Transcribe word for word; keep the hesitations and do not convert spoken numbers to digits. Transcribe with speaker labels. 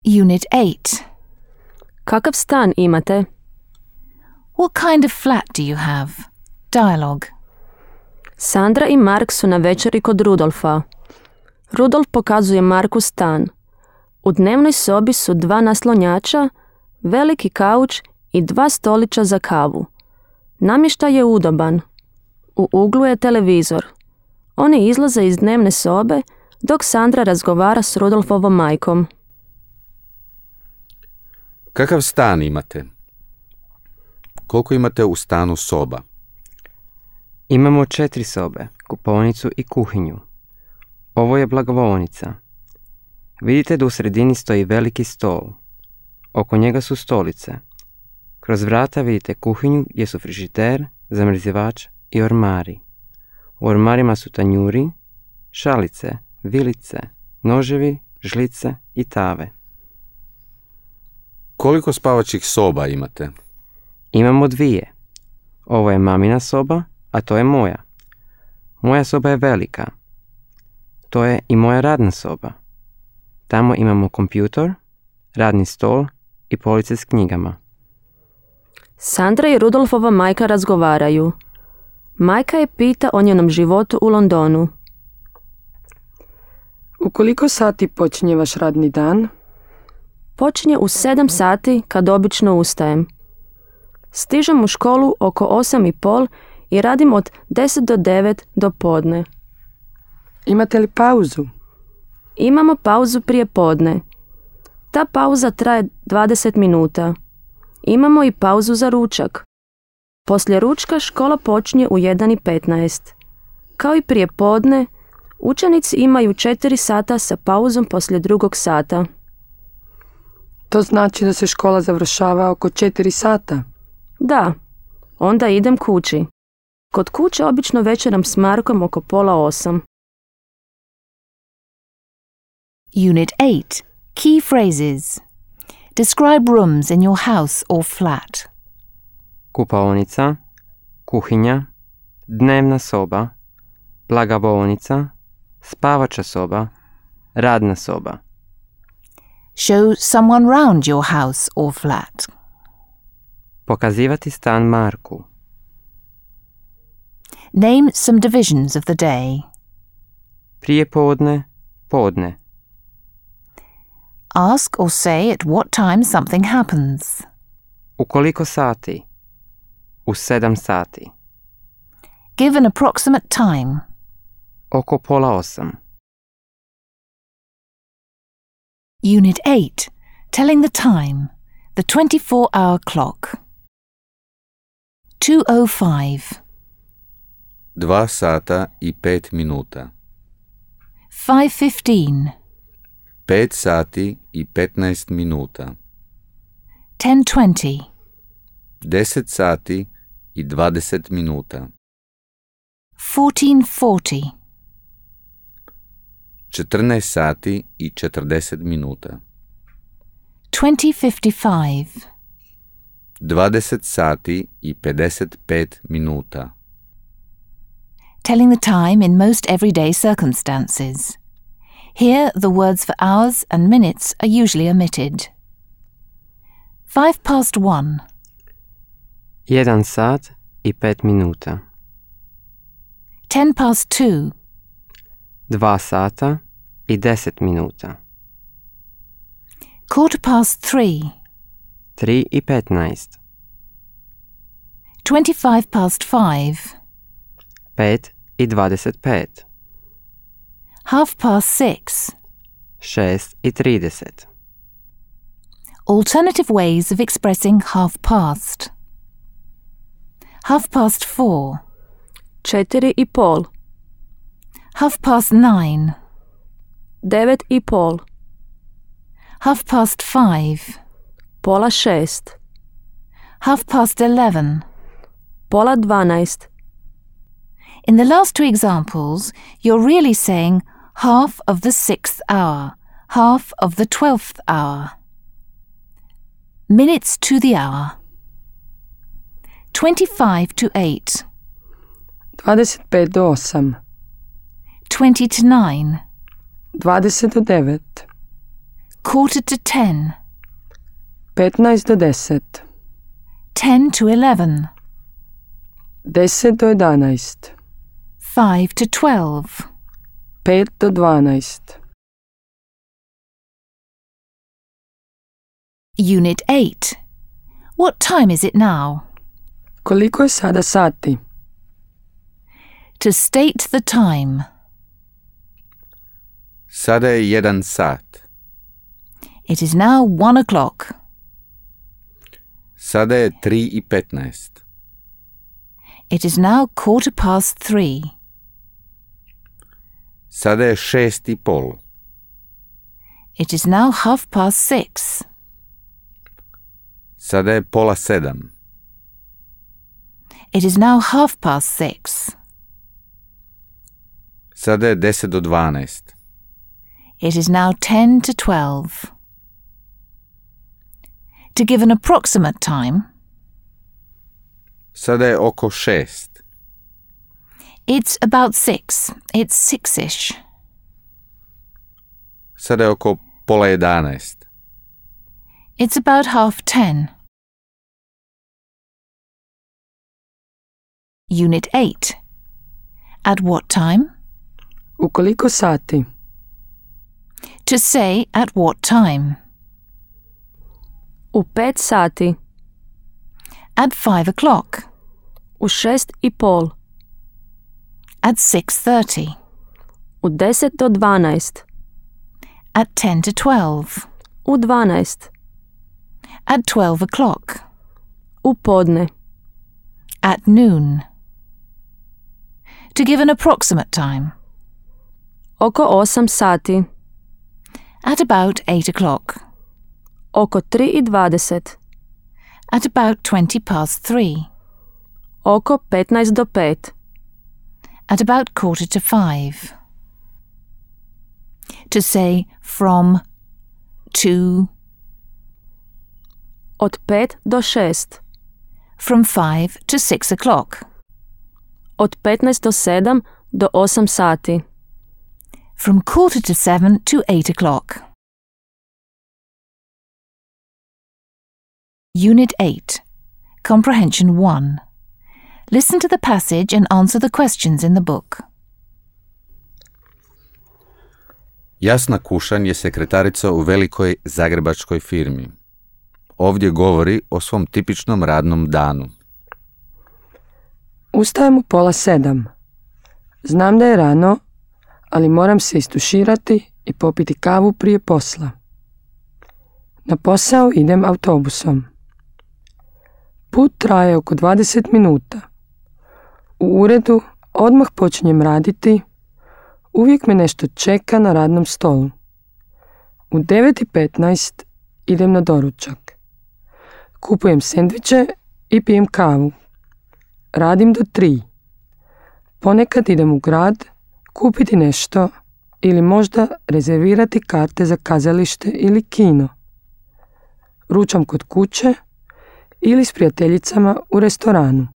Speaker 1: Unit eight.
Speaker 2: Kakav stan imate?
Speaker 1: What kind of flat do you have? Dialogue.
Speaker 2: Sandra i Mark su na večeri kod Rudolfa. Rudolf pokazuje Marku stan. U dnevnoj sobi su dva naslonjača, veliki kauč i dva stolića za kavu. Namještaj je udoban. U uglu je televizor. Oni izlaze iz dnevne sobe dok Sandra razgovara s Rudolfovom majkom.
Speaker 3: Kakav stan imate? Koliko imate u stanu soba?
Speaker 4: Imamo četiri sobe, kupaonicu i kuhinju. Ovo je blagovaonica. Vidite da u sredini stoji veliki stol. Oko njega su stolice. Kroz vrata vidite kuhinju gdje su frižider, zamrzivač i ormari. U ormarima su tanjuri, šalice, vilice, noževi, žlice i tave.
Speaker 3: Koliko spavačih soba imate?
Speaker 4: Imamo dvije. Ovo je mamina soba, a to je moja. Moja soba je velika. To je i moja radna soba. Tamo imamo kompjutor, radni stol i police s knjigama.
Speaker 2: Sandra i Rudolfova majka razgovaraju. Majka je pita o njenom životu u Londonu.
Speaker 5: U koliko sati počinje vaš radni dan?
Speaker 2: Počinje u sedam sati kad obično ustajem. Stižem u školu oko osam i pol i radim od deset do devet do podne.
Speaker 5: Imate li pauzu?
Speaker 2: Imamo pauzu prije podne. Ta pauza traje dvadeset minuta. Imamo i pauzu za ručak. Poslije ručka škola počinje u jedan i petnaest. Kao i prije podne, učenici imaju četiri sata sa pauzom poslije drugog sata.
Speaker 5: To znači da se škola završava oko četiri sata?
Speaker 2: Da, onda idem kući. Kod kuće obično večeram s Markom oko pola osam.
Speaker 1: Unit eight. Key phrases. Describe rooms in your house or flat.
Speaker 4: Kupaonica, kuhinja, dnevna soba, blagovaonica, spavača soba, radna soba.
Speaker 1: Show someone round your house or flat.
Speaker 4: Pokazivati stan Marku.
Speaker 1: Name some divisions of the day.
Speaker 4: Prije podne, podne.
Speaker 1: Ask or say at what time something happens.
Speaker 4: U koliko sati? U sedam sati.
Speaker 1: Give an approximate time.
Speaker 4: Oko pola osam.
Speaker 1: Unit eight. Telling the time. The twenty-four hour clock. two oh five.
Speaker 3: Dva sata i pet minuta.
Speaker 1: five fifteen.
Speaker 3: Pet sati i petnaest minuta.
Speaker 1: ten twenty.
Speaker 3: Deset sati i dvadeset minuta.
Speaker 1: fourteen forty.
Speaker 3: Četrnaest sati i četrdeset minuta.
Speaker 1: twenty fifty-five.
Speaker 3: Dvadeset sati i pedeset pet minuta.
Speaker 1: Telling the time in most everyday circumstances. Here, the words for hours and minutes are usually omitted. Five past one.
Speaker 4: Jedan sat i pet minuta.
Speaker 1: Ten past two.
Speaker 4: Dva sata i deset minuta.
Speaker 1: Quarter past three.
Speaker 4: Tri i petnaest.
Speaker 1: Twenty-five past five.
Speaker 4: Pet i dvadeset pet.
Speaker 1: Half past six.
Speaker 4: Šest i trideset.
Speaker 1: Alternative ways of expressing half past. Half past four.
Speaker 2: Četiri i pol.
Speaker 1: Half past nine.
Speaker 2: Devet i pol.
Speaker 1: Half past five.
Speaker 2: Pola šest.
Speaker 1: Half past eleven.
Speaker 2: Pola dvanaest.
Speaker 1: In the last two examples, you're really saying half of the sixth hour, half of the twelfth hour. Minutes to the hour. Twenty-five to eight.
Speaker 5: dvadeset pet do osam.
Speaker 1: Twenty to nine.
Speaker 5: dvadeset do devet.
Speaker 1: Quarter to ten.
Speaker 5: petnaest do deset.
Speaker 1: Ten to eleven.
Speaker 5: deset do jedanaest.
Speaker 1: Five to twelve.
Speaker 5: pet do dvanaest.
Speaker 1: Unit eight. What time is it now?
Speaker 5: Koliko je sada sati?
Speaker 1: To state the time.
Speaker 3: Sada je jedan sat.
Speaker 1: It is now one o'clock.
Speaker 3: Sada je tri i petnaest.
Speaker 1: It is now quarter past three.
Speaker 3: Sada je šest i pol.
Speaker 1: It is now half past six.
Speaker 3: Sada je pola sedam.
Speaker 1: It is now half past six.
Speaker 3: Sada je deset do dvanaest.
Speaker 1: It is now ten to twelve. To give an approximate time,
Speaker 3: Sada je oko šest.
Speaker 1: it's about six. It's six-ish.
Speaker 3: Sada je oko pola jedanaest.
Speaker 1: It's about half ten. Unit eight. At what time?
Speaker 5: U koliko sati?
Speaker 1: To say at what time.
Speaker 2: U pet sati.
Speaker 1: At five o'clock.
Speaker 2: U šest i pol.
Speaker 1: At six thirty.
Speaker 2: U deset do dvanaest.
Speaker 1: At ten to twelve.
Speaker 2: U dvanaest.
Speaker 1: At twelve o'clock.
Speaker 2: U podne.
Speaker 1: At noon. To give an approximate time.
Speaker 2: Oko osam sati.
Speaker 1: At about eight o'clock.
Speaker 2: Oko tri i dvadeset.
Speaker 1: At about twenty past three.
Speaker 2: Oko petnaest do pet.
Speaker 1: At about quarter to five. To say from, to,
Speaker 2: Od pet do šest.
Speaker 1: from five to six o'clock.
Speaker 2: Od petnaest do sedam do osam sati.
Speaker 1: From quarter to seven to eight o'clock. Unit eight. Comprehension one. Listen to the passage and answer the questions in the book.
Speaker 3: Jasna Kušan je sekretarica u velikoj zagrebačkoj firmi. Ovdje govori o svom tipičnom radnom danu.
Speaker 5: Ustajem u pola sedam. Znam da je rano, ali moram se istuširati i popiti kavu prije posla. Na posao idem autobusom. Put traje oko dvadeset minuta. U uredu odmah počinjem raditi. Uvijek me nešto čeka na radnom stolu. U devet i petnaest idem na doručak. Kupujem sendviče i pijem kavu. Radim do tri. Ponekad idem u grad kupiti nešto ili možda rezervirati karte za kazalište ili kino. Ručam kod kuće ili s prijateljicama u restoranu.